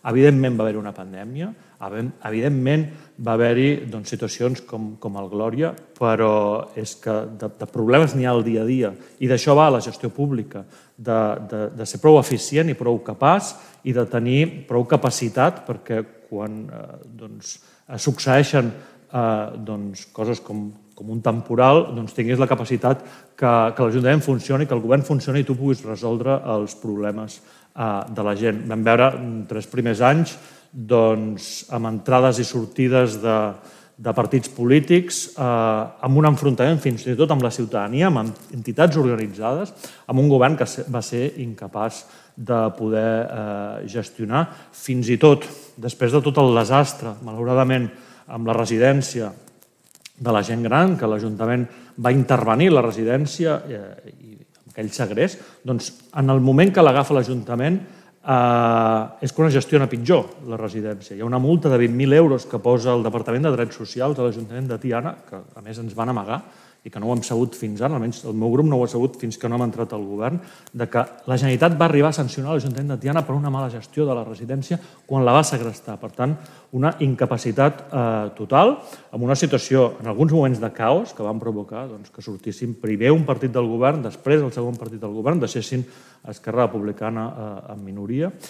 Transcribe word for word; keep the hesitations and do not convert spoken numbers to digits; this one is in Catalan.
Evidentment va haver-hi una pandèmia, evidentment va haver-hi situacions com el Glòria, però és que de problemes n'hi ha al dia a dia i d'això va la gestió pública, de ser prou eficient i prou capaç i de tenir prou capacitat perquè quan succeeixen coses com un temporal tinguis la capacitat que l'Ajuntament funcioni, que el govern funcioni i tu puguis resoldre els problemes de la gent. Vam veure tres primers anys amb entrades i sortides de partits polítics, amb un enfrontament fins i tot amb la ciutadania, amb entitats organitzades, amb un govern que va ser incapaç de poder gestionar. Fins i tot, després de tot el desastre, malauradament, amb la residència de la gent gran, que l'Ajuntament va intervenir a la residència i aquell segrest, doncs en el moment que l'agafa l'Ajuntament és quan es gestiona pitjor la residència. Hi ha una multa de vint mil euros que posa el Departament de Drets Socials de l'Ajuntament de Tiana, que a més ens van amagar i que no ho hem sabut fins ara, almenys el meu grup no ho ha sabut fins que no hem entrat al govern, de que la Generalitat va arribar a sancionar l'Ajuntament de Tiana per una mala gestió de la residència quan la va segrestar. Per tant, una incapacitat total, amb una situació, en alguns moments de caos, que van provocar que sortissin primer un partit del govern, després el segon partit del govern, deixessin Esquerra Republicana en minoria